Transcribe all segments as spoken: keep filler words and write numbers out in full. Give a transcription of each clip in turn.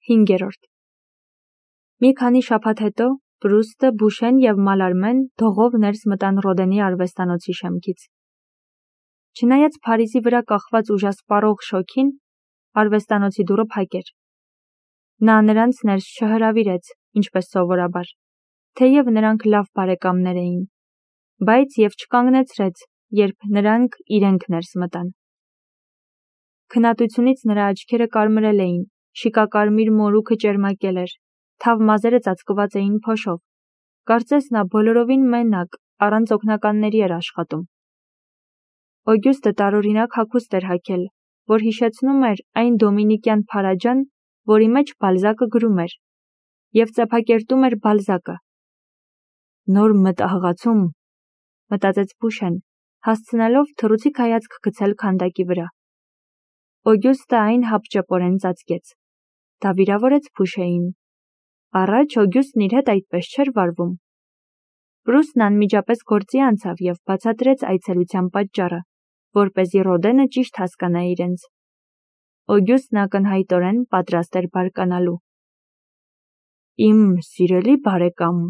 հինգերորդ Մի քանի շաբաթ հետո Պրուստը, Բուշեն և Մալարմեն դողով ներս մտան Ռոդենի արվեստանոցի շեմքից։ Չնայած Փարիզի վրա կախված ուժասպառող շոգին, արվեստանոցի դուռը փակ էր։ Նա նրանց ներս չհրավիրեց, ինչպես սովորաբար, թեև նրանք լավ բարեկամներ էին, բայց և չկանգնեցրեց, երբ նրանք իրենք ներս մտան։ Քննադությունից նրա աչքերը կարմրել էին, շիկակարմիր մորուքը ճերմակել էր, թավ մազերը ծածկված էին փոշով։ Կարծես նա բոլորովին մենակ, առանց օգնականների էր աշխատում։ Օգյուստը տարօրինակ հագուստ էր հագել, որ հիշեցնում էր այն դոմինիկյան փարաջան, որի մեջ Բալզակը գրում էր, և ծեփակերտում էր Բալզակը։ Նոր մտահղացում, մտածեց Բուշեն, հասցնելով թռուցիկ հայացք գցել քանդակի վրա։ Օգյուստը այն հապճեպորեն ծածկեց։ Դա վիրավորեց Բուշեին։ Առաջ Օգյուստն իր հետ այդպես չէր վարվում։ Պրուստն անմիջապես գործի անցավ և բացատրեց այցելության պատճառը, որպեսզի Ռոդենը ճիշտ հասկանա իրենց։ Օգյուստն ակնհայտորեն պատրաստ էր բարկանալու։ «Իմ սիրելի բարեկամ»,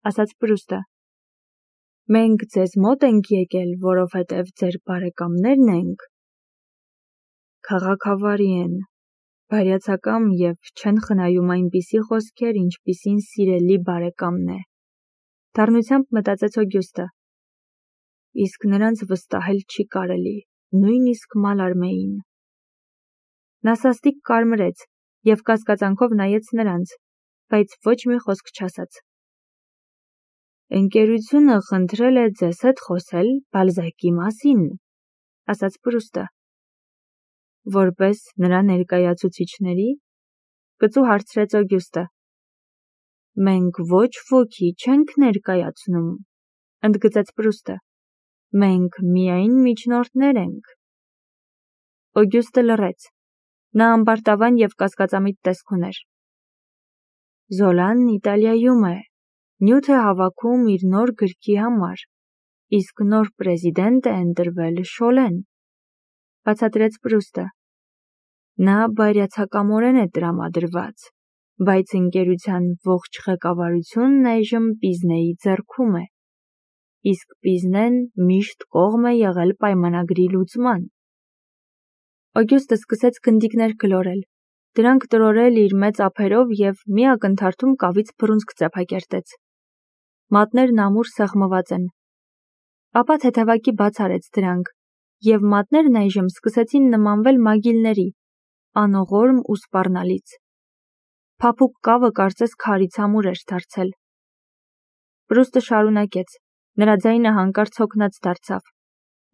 ասաց Պրուստը, «մենք ձեզ մոտ ենք եկել, որովհետև ձեր բարեկամներն ենք։ Քաղաքավարի են, բարյացակամ և չեն խնայում այնպիսի խոսքեր, ինչպիսին սիրելի բարեկամն է», դառնությամբ մտածեց Օգյուստը։ Իսկ նրանց վստահել չի կարելի, նույնիսկ Մալարմեին։ Նա սաստիկ կարմրեց և կասկածանքով նայեց նրանց, բայց ոչ մի խոսք չասաց։ «Ընկերությունը խնդրել է ձեզ հետ խոսել Բալզակի մասին», ասաց Պրուստը։ «Որպես նրա ներկայացուցիչների», կծու հարցրեց Օգյուստը։ «Մենք ոչ ոքի չենք ներկայացնում», ընդգծեց Պրուստը։ «Մենք միայն միջնորդներ ենք»։ Օգյուստը լռեց։ Նա ամբարտավան և կասկածամիտ տեսք ուներ։ «Զոլան Իտալիայում է, նյութ է հավաքում իր նոր գրքի համար, իսկ նոր պրեզիդենտ է ընտրվել Շոլեն», բացատրեց Պրուստը։ «Նա բարյացակամորեն է տրամադրված, բայց ընկերության ողջ ղեկավարությունն այժմ Պիզնեի ձեռքում է, իսկ Պիզնեն միշտ կողմ է եղել պայմանագրի լուծման»։ Օգյուստը սկսեց գնդիկներ գլորել, դրանք տրորել իր մեծ ափերով և մի ակնթարթում կավից բռունցք ծեփակերտեց։ Մատներն ամուր սեղմված են։ Ապա թեթևակի բաց արեց դրանք, և մատներն այժմ սկսեցին նմանվել մագիլների, անողորմ ու սպառնալից։ Փափուկ կավը կարծես քարից ամուր էր դարձել։ Պրուստը շարունակեց, նրա ձայնը հանկարծ հոգնած դարձավ։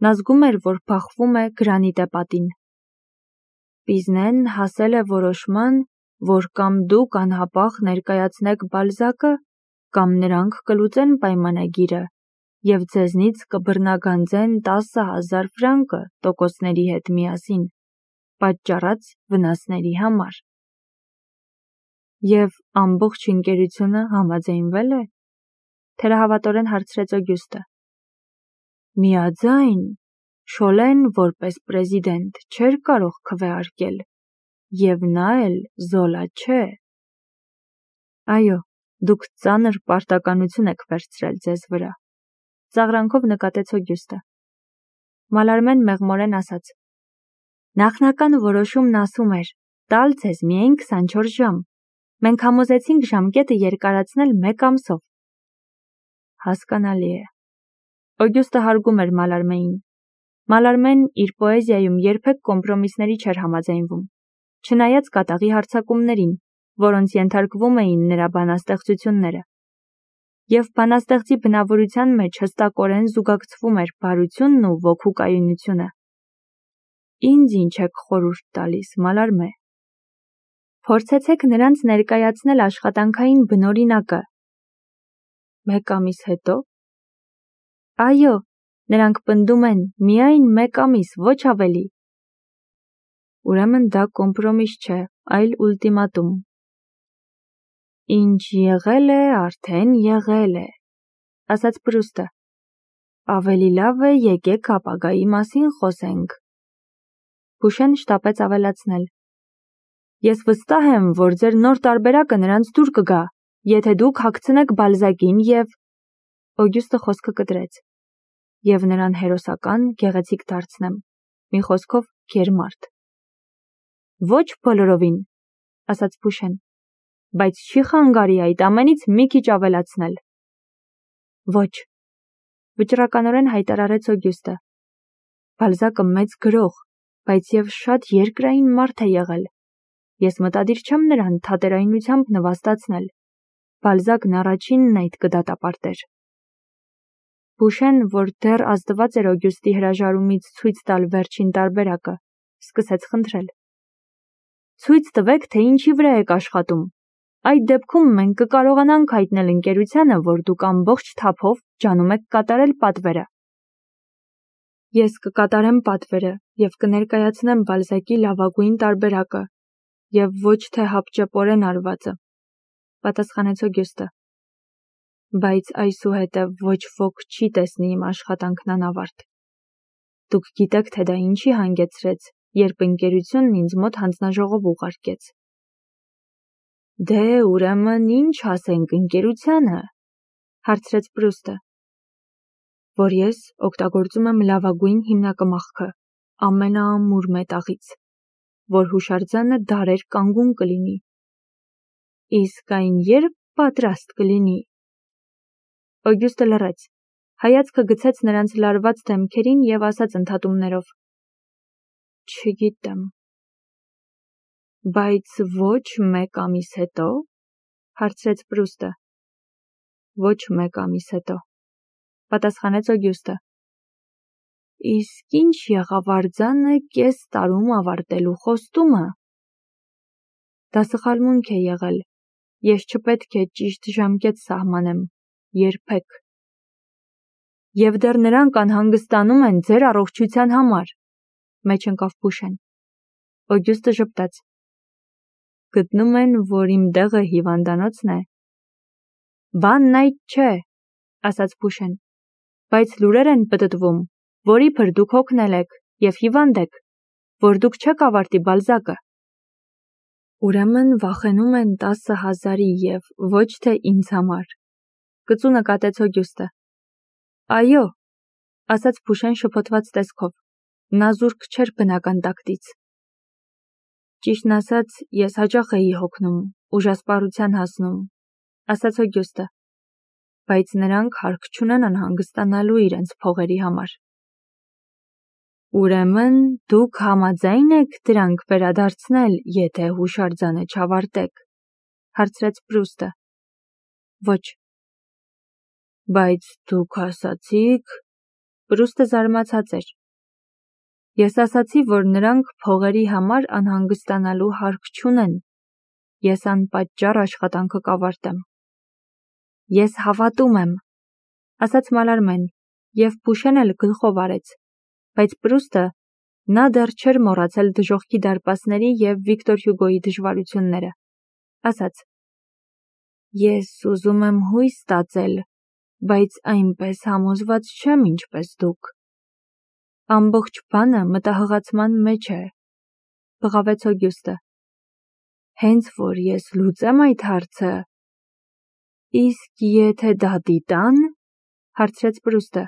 Նա զգում էր, որ բախվում է գրանիտե պատին։ Պիզնեն հասել է որոշման, որ կամ դուք անհապաղ ներկայացնեք Բալզակը, կամ նրանք կլուծեն պայմանագիրը և ձեզնից կբռնագանձեն տասը հազար ֆրանկը տոկոսների հետ միասին, պատճառած վնասների համար։ Եվ ամբողջ ընկերությունը համաձայնվե՞լ է, թերահավատորեն հարցրեց Օգյուստը։ Միաձայն, Շոլեն որպես պրեզիդենտ չէր կարող քվեարկել, և նա էլ Զոլա չէ։ Այո, դուք ծանր պարտականություն եք վերցրել ձեզ վրա, ծաղրանքով նկատեց Օգյուստը։ Մալարմեն մեղմորեն ասաց. Նախնական որոշումն ասում էր տալ ձեզ միայն քսանչորս ժամ։ Մենք համոզեցինք ժամկետը երկարացնել մեկ ամսով։ Հասկանալի է։ Օգյուստը հարգում էր Մալարմեին։ Մալարմեն իր պոեզիայում երբեք կոմպրոմիսների չէր համաձայնվում, չնայած կատաղի հարձակումներին, որոնց ենթարկվում էին նրա բանաստեղծությունները։ Եվ բանաստեղծի բնավորության մեջ հստակորեն զուգակցվում էր բարությունն ու ոգու կայունությունը։ Ինձ ինչ եք խորհուրդ տալիս, Մալարմե։ Փորձեցեք նրանց ներկայացնել աշխատանքային բնօրինակը։ Մեկ ամիս հետո։ Այո, նրանք պնդում են միայն մեկ ամիս, ոչ ավելի։ Ուրեմն դա կոմպրոմիս չէ, այլ ուլտիմատում։ Ինչ եղել է, արդեն եղել է, ասաց Պրուստը։ Ավելի լավ է եկեք ապագայի մասին խոսենք։ Բուշեն շտապեց ավելացնել։ Ես վստահ եմ, որ ձեր նոր տարբերակը նրանց դուր կգա, եթե դուք հագցնեք Բալզակին և… Օգյուստը խոսքը կտրեց։ Եվ նրան հերոսական, գեղեցիկ դարձնեմ, մի խոսքով գերմարդ։ Ոչ բոլորովին, ասաց Փուշեն, բայց չի խանգարի այդ ամենից մի քիչ ավելացնել։ Ոչ, վճռականորեն հայտարարեց Օգյուստը։ Բալզակը մեծ գրող, բայց և շատ երկրային մարդ է եղել։ Ես մտադիր չեմ նրան թատերայնությամբ նվաստացնել։ Բալզակն առաջինն այդ կդատապարտեր։ Փուշեն, որ դեռ ազդված էր Օգյուստի հրաժարումից ցույց տալ վերջին տարբերակը, սկսեց խնդրել. Ցույց տվեք, թե ինչի վրա եք աշխատում։ Այդ դեպքում մենք կկարողանանք հայտնել ընկերությանը, որ դուք ամբողջ թափով ջանում եք կատարել պատվերը։ Ես կկատարեմ պատվերը և կներկայացնեմ Բալզակի լավագույն տարբերակը և ոչ թե հապճեպորեն արվածը, պատասխանեց Օգյուստը։ Բայց այսուհետև ոչ ոք չի տեսնի իմ աշխատանքն անավարտ։ Դուք գիտեք, թե դա ինչի հանգեցրեց, երբ ընկերությունն ինձ մոտ հանձնաժողով ուղարկեց։ Դե, ուրեմն ինչ ասենք ընկերությանը, հարցրեց Պրուստը, որ ես օգտագործում եմ լավագույն հիմնակմախքը, ամենաամուր մետաղից, որ հուշարձանը դարեր կանգուն կլինի։ Իսկ այն երբ պատրաստ կլինի։ Օգյուստը լռեց, հայացքը գցեց նրանց լարված դեմքերին և ասաց ընդհատումներով. Չգիտեմ։ Բայց ոչ մեկ ամիս հետո, հարցրեց Պրուստը։ Ոչ մեկ ամիս հետո, պատասխանեց Օգյուստը։ Իսկ ինչ եղավ արձանը կես տարում ավարտելու խոստումը։ Դա սխալմունք է եղել։ Ես չպետք է ճիշտ ժամկետ սահմանեմ, երբեք։ Եվ դեռ նրանք անհանգստանում են ձեր առողջության համար, մեջ ընկավ Փուշեն։ Օգյուստը ժպտաց։ Գտնում են, որ իմ դեղը հիվանդանոցն է։ Բանն այդ չէ, ասաց Փուշեն, բայց լուրեր են պտտվում, որ իբր դուք հոգնել եք և հիվանդ եք, որ դուք չեք ավարտի Բալզակը։ Ուրեմն վախենում են տասը հազարի և ոչ թե ինձ համար, կծու նկատեց Օգյուստը։ Այո, ասաց Փուշեն շփոթված տեսքով, նա զուրկ չէր բնական տակտից։ Ճիշտն ասած, ես հաճախ էի հոգնում, ուժասպառության հասնում, ասաց Օգյուստը, բայց նրանք հարկ չունեն անհանգստանալու իրենց փողերի համար։ Ուրեմն դուք համաձայն եք դրանք վերադարձնել, եթե հուշարձանը չավարտեք, հարցրեց Պրուստը։ Ոչ։ Բայց դուք ասացիք… Պրուստը զարմացած էր։ Ես ասացի, որ նրանք փողերի համար անհանգստանալու հարկ չունեն։ Ես անպատճառ աշխատանքը կավարտեմ։ Ես հավատում եմ, ասաց Մալարմեն, և Փուշեն էլ գլխով արեց, բայց Պրուստը, նա դեռ չէր մոռացել դժոխքի դարպասների և Վիկտոր Հյուգոյի դժվարությունները, ասաց. Ես ուզում եմ հույս ստացել, բայց այնպես համոզված չեմ, ինչպես դուք։ Ամբողջ բանը մտահղացման մեջ է, բղավեց Օգյուստը։ Հենց որ ես լուծեմ այդ հարցը… Իսկ եթե դատի տան, հարցրեց Պրուստը։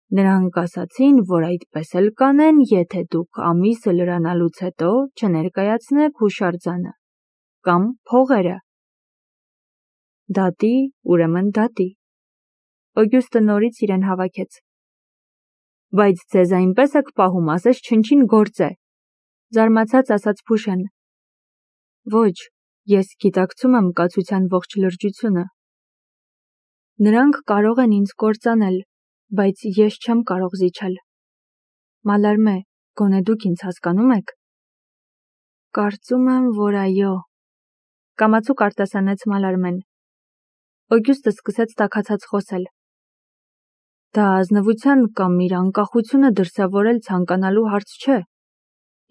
Նրանք ասացին, որ այդպես էլ կանեն, եթե դուք ամիսը լրանալուց հետո չներկայացնեք հուշարձանը կամ փողերը։ Դատի, ուրեմն դատի։ Օգյուստը նորից իրեն հավաքեց։ Բայց ձեզ այնպես եք պահում, ասես չնչին գործ է, զարմացած ասաց Փուշեն։ Ոչ, ես գիտակցում եմ կացության ողջ լրջությունը։ Նրանք կարող են ինձ կործանել, բայց ես չեմ կարող զիջել։ Մալարմե, գոնե դուք ինձ հասկանում եք։ Կարծում եմ, որ այո, կամացուկ արտասանեց Մալարմեն։ Օգյուստը սկսեց տաքացած խոսել։ Դա ազնվության կամ իր անկախությունը դրսևորել ցանկանալու հարց չէ։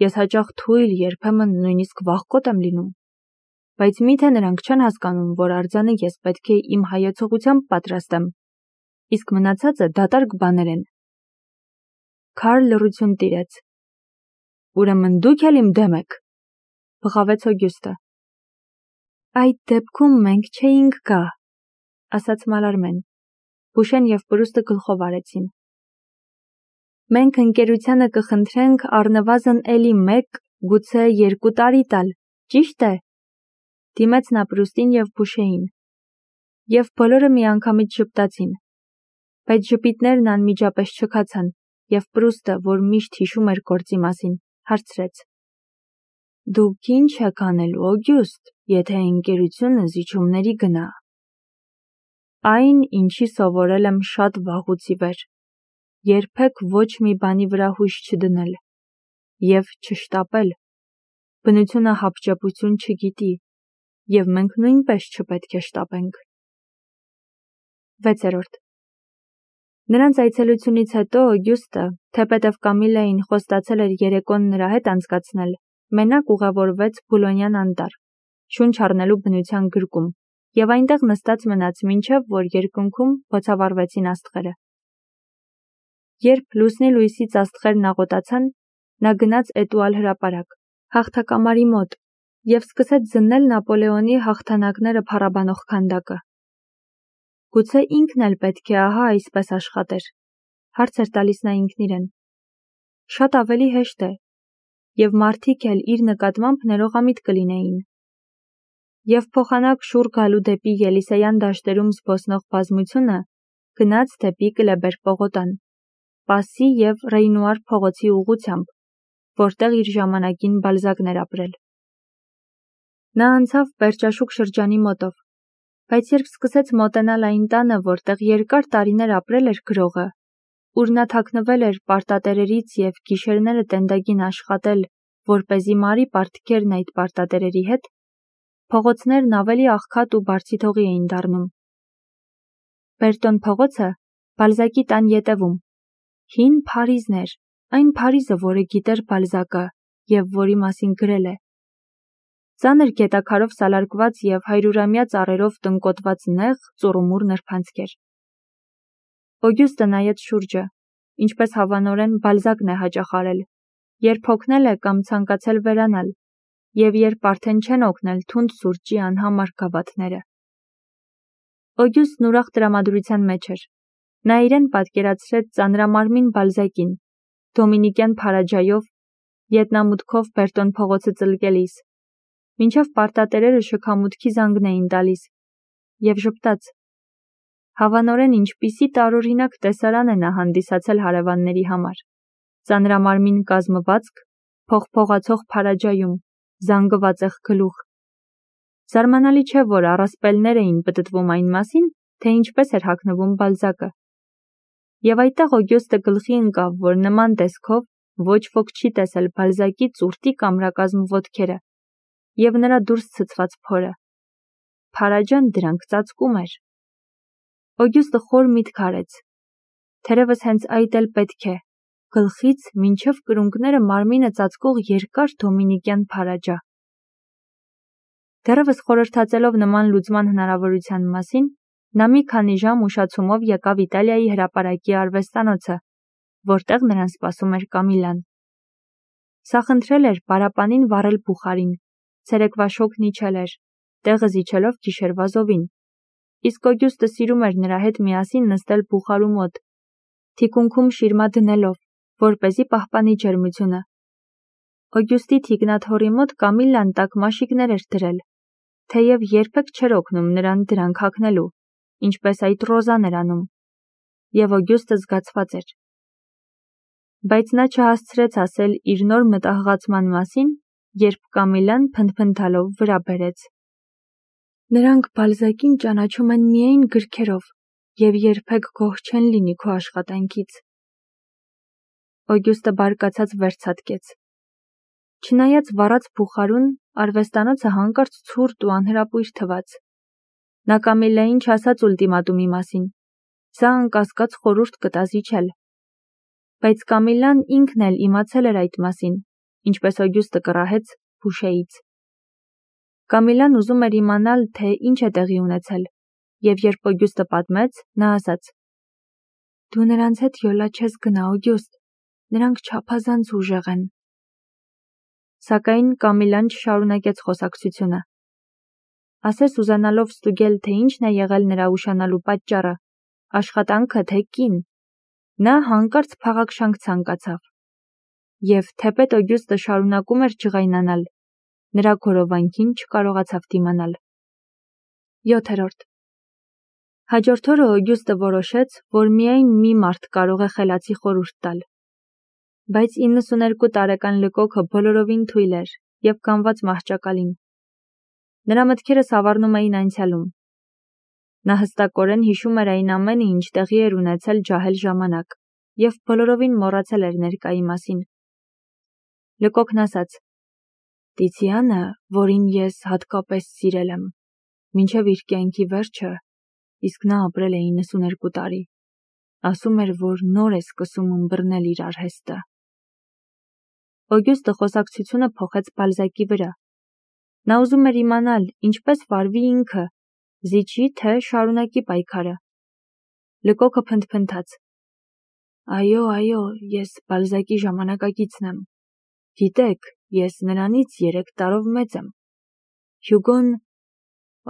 Ես հաճախ թույլ, երբեմն նույնիսկ վախկոտ եմ լինում։ Բայց միթե նրանք չեն հասկանում, որ արձանը ես պետք է իմ հայեցողությամբ պատրաստեմ, իսկ մնացածը դատարկ բաներ են։ Քարլ լռություն տիրեց։ Ուրեմն դուք էլ իմ դեմ եք։ բղավեց Օգյուստը։ Այդ դեպքում մենք չէինք գա, ասաց Մալարմեն։ Բուշեն և Պրուստը գլխով արեցին։ Մենք ընկերությանը կխնդրենք առնվազն էլի մեկ, գուցե երկու տարի տալ, ճիշտ է, դիմեց նա Պրուստին և Բուշեին։ Եվ բոլորը միանգամից ժպտացին։ Բայց ժպիտներն անմիջապես չքացան, և Պրուստը, որ միշտ հիշում էր գործի մասին, հարցրեց. Դուք ինչ եք անելու, Օգյուստ, եթե ընկերությունը զիջումների գնա։ Այն, ինչի սովորել եմ շատ վաղուց ի վեր, երբեք ոչ մի բանի վրա հույս չդնել և չշտապել։ Բնությունը հապճեպություն չգիտի, և մենք նույնպես չպետք է շտապենք։ վեցերորդ Նրանց այցելությունից հետո Օգյուստը, թեպետև Կամիլային խոստացել էր երեկոն նրա հետ անցկացնել, մենակ ուղևորվեց Բուլոնյան անտառ, շունչ առնելու բնության գրկում, և այնտեղ նստած մնաց մինչև որ երկնքում բոցավառվեցին աստղերը։ Երբ լուսնի լույսից աստղերն աղոտացան, նա գնաց Էտուալ հրապարակ, հաղթակամարի մոտ, և սկսեց զննել Նապոլեոնի հաղթանակները փառաբանող քանդակը։ Գուցե ինքն էլ պետք է ահա այսպես աշխատեր, հարց էր տալիս նա ինքն իրեն։ Շատ ավելի հեշտ է, և մարդիկ էլ իր նկատմամբ ներողամիտ կլինեին։ Եվ փոխանակ շուռ գալու դեպի Ելիսեյան դաշտերում զբոսնող բազմությունը գնաց դեպի Կլեբեր պողոտան, Պասի և Ռեյնուար փողոցի ուղղությամբ, որտեղ իր ժամանակին Բալզակն էր ապրել։ Նա անցավ Պերճաշուկ շրջանի մոտով, բայց երբ սկսեց մոտենալ այն տանը, որտեղ երկար տարիներ ապրել էր գրողը, ուր նա թաքնվել էր պարտատերերից և գիշերները տենդագին աշխատել, որպեսզի մարի պարտքերն այդ պարտատերերի հետ, փողոցներն ավելի աղքատ ու բարձիթողի էին դառնում։ Բերտոն փողոցը Բալզակի տան ետևում, հին Փարիզն էր, այն Փարիզը, որը գիտեր Բալզակը և որի մասին գրել է։ Ծանր գետաքարով սալարկված և հայրուրամյա ծառերով տնկոտված նեղ, ծուռումուռ նրբանցքեր։ Օգյուստը նայեց շուրջը, ինչպես հավանորեն Բալզակն է հաճախ արել, երբ հոգնել է կամ ցանկացել վերանալ, և երբ արդեն չեն օգնել թունդ սուրճի անհամար գավաթները։ Օգյուստն ուրախ տրամադրության մեջ էր։ Նա իրեն պատկերացրեց ծանրամարմին Բալզակին, դոմինիկյան փարաջայով, ետնամուտքով Բերտոն փողոցը ծլկելիս, մինչև պարտատերերը շքամուտքի զանգն էին տալիս, և ժպտաց։ Հավանորեն ինչպիսի տարօրինակ տեսարան է նա հանդիսացել հարևանների համար։ Ծանրամարմին կազմվածք, փողփողացող փարաջայում, զանգվածեղ գլուխ։ Զարմանալի չէ, որ առասպելներ էին պտտվում այն մասին, թե ինչպես էր հագնվում Բալզակը։ Եվ այդտեղ Օգյուստը գլխի ընկավ, որ նման տեսքով ոչ ոք չի տեսել Բալզակի ծուրտիկ ամրակազմ ոտքերը և նրա դուրս ցցված փորը։ Փարաջան դրանք ծածկում էր։ Օգյուստը խոր միտք արեց։ Թերևս հենց այդ էլ պետք է, գլխից մինչև կրունկները մարմինը ծածկող երկար դոմինիկյան փարաջա։ Դեռևս խորհրդածելով նման լուծման հնարավորության մասին, նա մի քանի ժամ ուշացումով եկավ Իտալիայի հրապարակի արվեստանոցը, որտեղ նրան սպասում էր Կամիլան։ Սա խնդրել էր պարապանին վառել բուխարին, ցերեկվա շոգն իջել էր, տեղը զիջելով գիշերվա զովին, իսկ Օգյուստը սիրում էր նրա հետ միասին նստել բուխարու մոտ, թիկունքում շիրմա դնելով, որպեսզի պահպանի ջերմությունը։ Օգյուստի թիկնաթոռի մոտ Կամիլան տակմաշիկներ էր դրել, թեև երբեք չէր օգնում նրան դրանք հագնելու, ինչպես այդ Ռոզան էր անում, և Օգյուստը զգացված էր։ Բայց նա չհասցրեց ասել իր նոր մտահղացման մասին, երբ Կամիլան փնթփնթալով վրա բերեց. Նրանք Բալզակին ճանաչում են միայն գրքերով և երբեք գոհ չեն լինի քո աշխատանքից։ Օգյուստը բարկացած վերցատկեց։ Չնայած վառած բուխարուն, արվեստանոցը հանկարծ ցուրտ ու անհրապույր թվաց։ Նա Կամիլային չասաց ուլտիմատումի մասին, սա անկասկած խորհուրդ կտա զիջել։ Բայց Կամիլան ինքն էլ իմացել էր այդ մասին, ինչպես Օգյուստը կռահեց Բուշեից։ Կամիլան ուզում էր իմանալ, թե ինչ է տեղի ունեցել, և երբ Օգյուստը պատմեց, նա ասաց. Դու նրանց հետ յոլա չես գնա, Օգյուստ, նրանք չափազանց ուժեղ են։ Սակայն Կամիլան չշարունակեց խոսակցությունը։ Ասես ուզանալով ստուգել, թե ինչն է եղել նրա ուշանալու պատճառը, աշխատանքը թե կին, նա հանկարծ փաղաքշանք ցանկացավ։ Եվ թեպետ Օգյուստը շարունակում էր ջղայնանալ, նրա գորովանքին չկարողացավ դիմանալ։ յոթերորդ Հաջորդ օրը Օգյուստը որոշեց, որ միայն մի մարդ կարող է խելացի խորհուրդ տալ։ Բայց իննսուներկու տարեկան Լկոկը բոլորովին թույլ էր և կանված մահճակալին։ Նրա մտքերը սավառնում էին անցյալում։ Նա հստակորեն հիշում էր այն ամենը, ինչ տեղի էր ունեցել ջահել ժամանակ, և բոլորովին մոռացել էր ներկայի մասին։ Լկոկն ասաց. «Տիցիանը, որին ես հատկապես սիրել եմ, մինչև իր կյանքի վերջը, իսկ նա ապրել է իննսուներկու տարի, ասում էր, որ նոր է սկսում ըմբռնել իր արհեստը»։ Օգյուստը խոսակցությունը փոխեց Բալզակի վրա։ Նա ուզում էր իմանալ, ինչպես վարվի ինքը, զիջի, թե շարունակի պայքարը։ Լկոկը փնթփնթաց. «Այո, այո, ես Բալզակի ժամանակակիցն եմ։ Գիտեք, ես նրանից երեք տարով մեծ եմ։ Հյուգոն…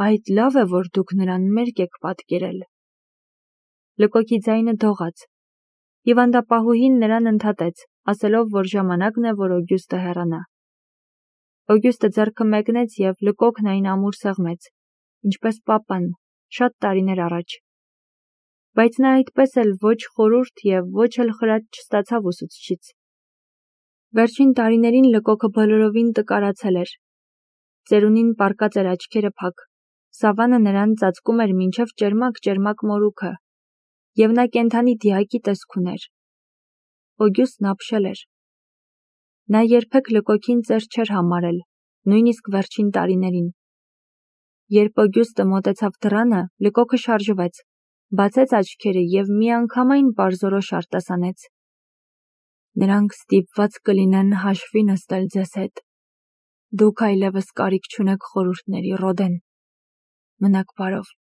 Այդ լավ է, որ դուք նրան մերկ եք պատկերել»։ Լկոկի ձայնը դողաց։ Հիվանդապահուհին նրան ընդհատեց, ասելով, որ ժամանակն է, որ Օգյուստը հեռանա։ Օգյուստը ձեռքը մեկնեց և Լկոկն այն ամուր սեղմեց, ինչպես պապան, շատ տարիներ առաջ։ Բայց նա այդպես էլ ոչ խորհուրդ և ոչ էլ խրատ չստացավ ուսուցչից։ Վերջին տարիներին Լկոկը բոլորովին տկարացել էր։ Ծերունին պառկած էր աչքերը փակ, սավանը նրան ծածկում էր մինչև ճերմակ-ճերմակ մորուքը, և նա կենդանի դիակի տեսք ուներ։ Օգյուստն ապշել էր։ Նա երբեք Լկոկին ծեր չէր համարել, նույնիսկ վերջին տարիներին։ Երբ Օգյուստը մոտեցավ դռանը, Լկոկը շարժվեց, բացեց աչքերը և միանգամայն պարզորոշ արտասանեց. «Նրանք ստիպված կլինեն հաշվի նստել ձեզ հետ։ Դուք այլևս կարիք չունեք խորհուրդների, Ռոդեն։ Մնաք բարով»։